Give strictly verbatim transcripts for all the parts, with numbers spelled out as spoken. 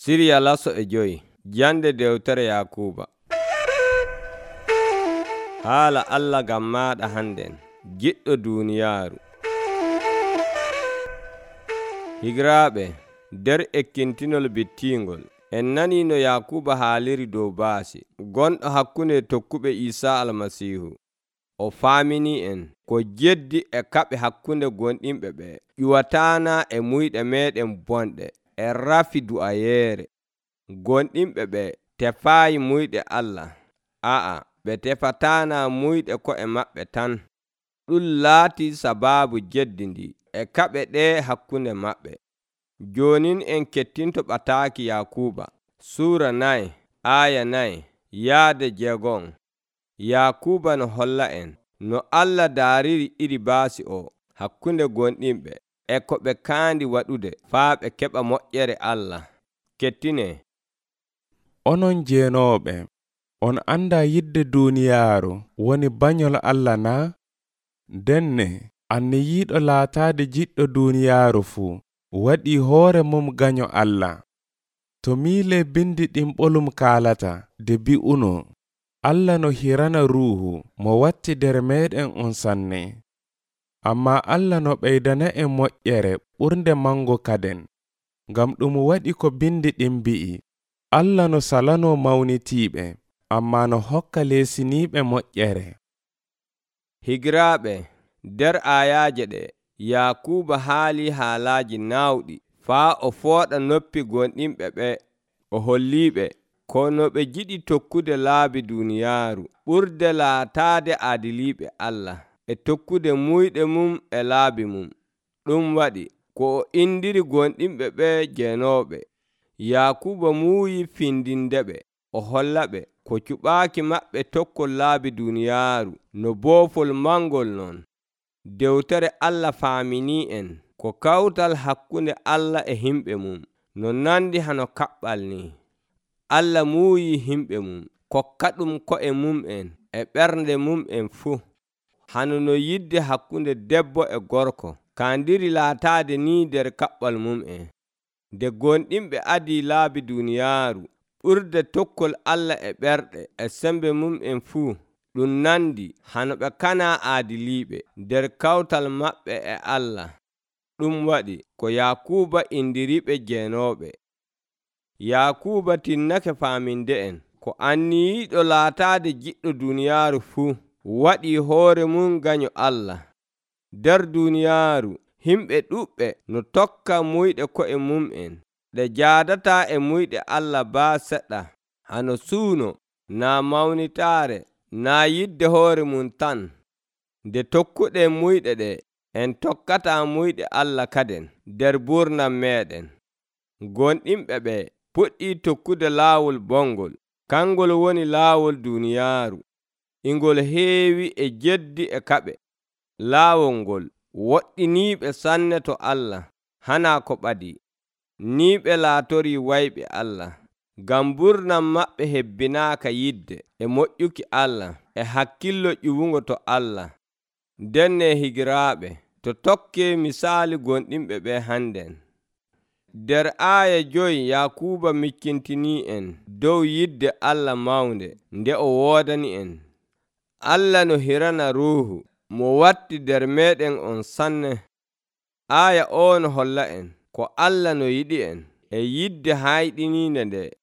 Siriya laso e joyi jande dewtere Yakuba. Haala Allah gam maɗa handen, giɗɗo duniyaaru. Higiraaɓe, nder ekkintinol bittingol, en nani no Yakuba haaliri dow baasi gonɗo hakkunde tokkuɓe Isa Almasihu. O faamini en ko jeddi e kaɓe hakkunde gonɗinɓe ɓe ƴuwatana e muyɗe meɗen bonɗe e rafi du'ayeere. Gonɗinɓe ɓe tefaayi muyɗe Allah, a'a ɓe tefatana muyɗe ko'e maɓɓe tan. Ɗum laati sababu jeddi ndi e kaɓe ɗe hakkunde maɓɓe. Jonin en kettinto ɓataaki Yakuba Suura nayi aya nayi yaade jeegon. Yakuba no holla en no Allah daariri iri baasi o hakkunde gonɗinɓe e ko ɓe kaandi waɗude faa ɓe keɓa moƴƴere Allah. Kettine. Onon jeenooɓe, on anda yidde duuniyaaru woni banyol Allah na? Denne anne yiiɗo laataade jiɗɗo duuniyaaru fuu waɗi hoore mum ganyo Allah. To miile bindi ɗin ɓolum kaalata de bi'uno, Allah no hirana ruuhu mo watti nder meɗen on sanne. Amma Allah no ɓeydana en moƴƴere ɓurnde mango kaden, ngam ɗum waɗi ko bindi ɗin bi'i. Allah no salano mawnitiiɓe, amma no hokka leesiniiɓe moƴƴere. Higiraaɓe, nder ayaaje ɗe Yakuba haali haalaaji naawɗi faa o fooɗa noppi gonɗinɓe ɓe. O holliiɓe ko no ɓe jiɗi tokkude laabi duniyaaru ɓurde laataade aadiliiɓe Allah e tokkude muyɗe mum e laabi mum. Ɗum waɗi ko o indiri gonɗinɓe ɓe jeenooɓe. Yakuba muuyi findindeɓe, o hollaɓe ko cuɓaaki maɓɓe tokkol laabi duniyaaru no boofol mangol non. Dewtere Allah faamini en ko kawtal hakkunde Allah e himɓe mum no nandi hano kaɓɓal ni. Allah muuyi himɓe mum kokka ɗum ko'e mum en e ɓernde mum en fuu. Hano no yidde hakkunde debbo e gorko kaandiri laataade ni nder kaɓɓal mum en. Nde gonɗinɓe adii laabi duniyaaru ɓurde tokkol Allah e ɓerɗe e sembe mum en fuu, ɗum nandi hano ɓe kana aadiliiɓe nder kawtal maɓɓe e Allah. Ɗum waɗi ko Yakuba indiriɓe jeenooɓe. Yakuba tinnake faaminde en ko anniyiiɗo laataade jiɗɗo duniyaaru fuu waɗi hoore mum ganyo Allah. Nder duniyaaru himɓe ɗuɓɓe no tokka muyɗe ko'e mum en ɗe jaadata e muyɗe Allah baa seɗɗa. Hano suuno, naa mawnitaare, naa yidde hoore mum tan. Nde tokkuɗen muyɗe ɗe, en tokkata muyɗe Allah kaden nder burnam meɗen. Gonɗinɓe ɓe puɗɗi tokkude laawol bongol, kangol woni laawol duniyaaru. Ingol heewi e jeddi e kaɓe. Laawol ngol woɗɗiniiɓe sanne to Allah, hana ko ɓadi. Ni ɓe laatori wayɓe Allah, ngam burnam maɓɓe hebbinaaka yidde e moƴƴuki Allah e hakkillo ƴiwungo to Allah. Denne higiraaɓe, to tokke misaali gonɗinɓe ɓe hannden. Nder aaya joyi Yakuba mikkintini en dow yidde Allah mawnde nde o woodani en. Allah no hirana ruuhu mo watti nder meɗen on sanne. Aaya o no holla en ko Allah no yiɗi en e yidde hayɗiniinde nde.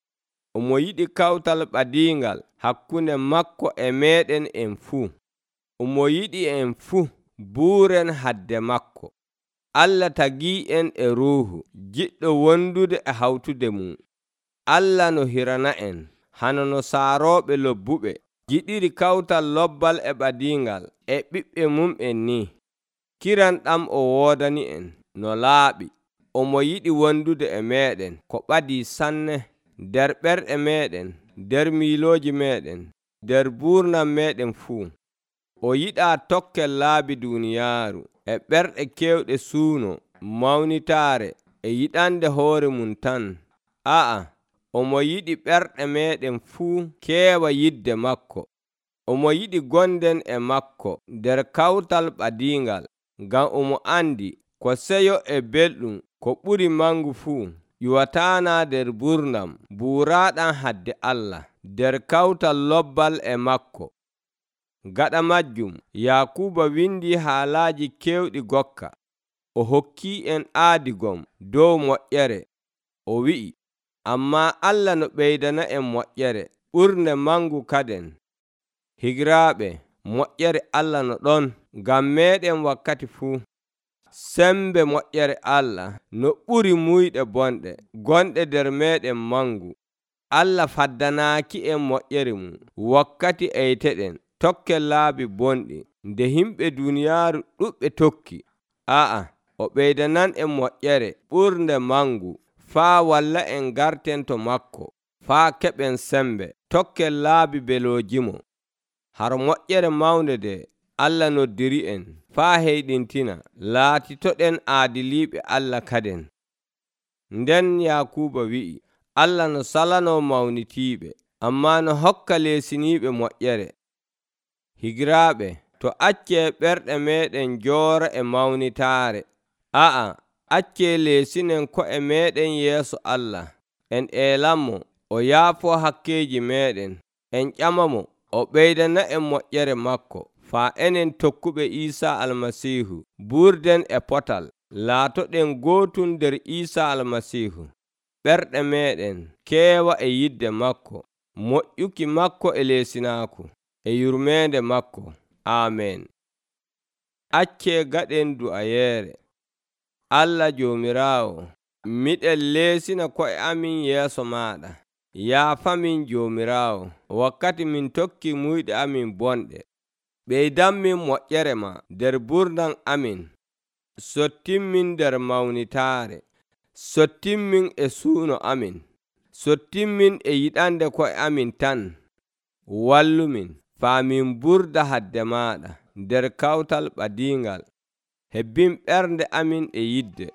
Omo yiɗi kawtal ɓadiingal hakkunde makko e meɗen en fuu. Omo yiɗi en fuu buuren hadde makko. Allah tagii en e ruuhu jiɗɗo wondude e hawtude mum. Allah no hirana en hano no saarooɓe lobbuɓe jiɗiri kawtal lobbal e ɓadiingal e ɓiɓɓe mum en ni. Kiran ɗam o woodani en no laaɓi. Omo yiɗi wondude e meɗen ko ɓadii sanne, nder ɓerɗe meɗen, nder miilooji meɗen, nder burnam meɗen fuu. O yiɗaa tokkel laabi duniyaaru e ɓerɗe kewɗe suuno, mawnitaare e yiɗande hoore mum tan. A'a, omo yiɗi ɓerɗe meɗen fuu keewa yidde makko. Omo yiɗi gonden e makko nder kawtal ɓadiingal, ngam omo andi ko seyo e belɗum ko ɓuri mangu fuu. ƴiwataana nder burnam buuraaɗam hadde Allah nder kawtal lobbal e makko. Gaɗa majjum Yakuuba windi haalaaji keewɗi gokka. O hokkii en aadigom dow moƴƴere. O wi'i, ammaa Allah no ɓeydana en moƴƴere ɓurnde mangu kaden. Higiraaɓe, moƴƴere Allah no ɗon ngam meeɗen wakkati fuu. Sembe moƴƴere Allah no ɓuri muyɗe bonɗe gonɗe nder meeɗen mangu. Allah faddanaaki en moƴƴere mum wakkati eyteɗen tokken laabi bonɗi nde himɓe duniyaaru ɗuɓɓe tokki. A'a, o ɓeydanan en moƴƴere ɓurnde mangu faa walla en garten to makko, faa keɓen sembe tokken laabi beloojimo. Har moƴƴere mawnde nde Allah noddiri en faa heyɗintina laatitoɗen aadiliiɓe Allah kaden. Nden Yakuuba wi'i, Allah no salanoo mawnitiiɓe, ammaa no hokka leesiniiɓe moƴƴere. Higiraaɓe, to accee ɓerɗe meeɗen njoora e mawnitaare. A'a, accee leesinen ko'e meeɗen yeeso Allah. En eelanmo o yaafoo hakkeeji meeɗen. En ƴamamo o ɓeydana en moƴƴere makko, faa enen tokkuɓe Iisaa Almasiihu buurden e potal, laatoɗen gootum nder Iisaa Almasiihu. Ɓerɗe meeɗen keewa e yidde makko, moƴƴuki makko e leesinaaku, e yurmeende makko. Aamen. Accee gaɗen du'ayeere. Allah Joomiraawo, miɗen leesina ko'e amin yeeso maaɗa. Yaafamin Joomiraawo wakkati min tokki muyɗe amin bonɗe. Ɓeydanmin moƴƴere ma nder burnam amin. Sottinmin nder mawnitaare. Sottinmin e suuno amin. Sottinmin e yiɗande ko'e amin tan. Wallumin faa min burda hadde maaɗa nder kawtal ɓadiingal. Hebbin ɓernde amin e yidde,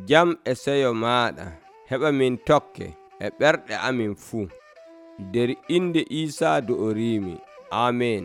jam e seyo maaɗa. Heɓa min tokke e ɓerɗe amin fuu. Nder inde Iisaa do'oriimi. Aamen.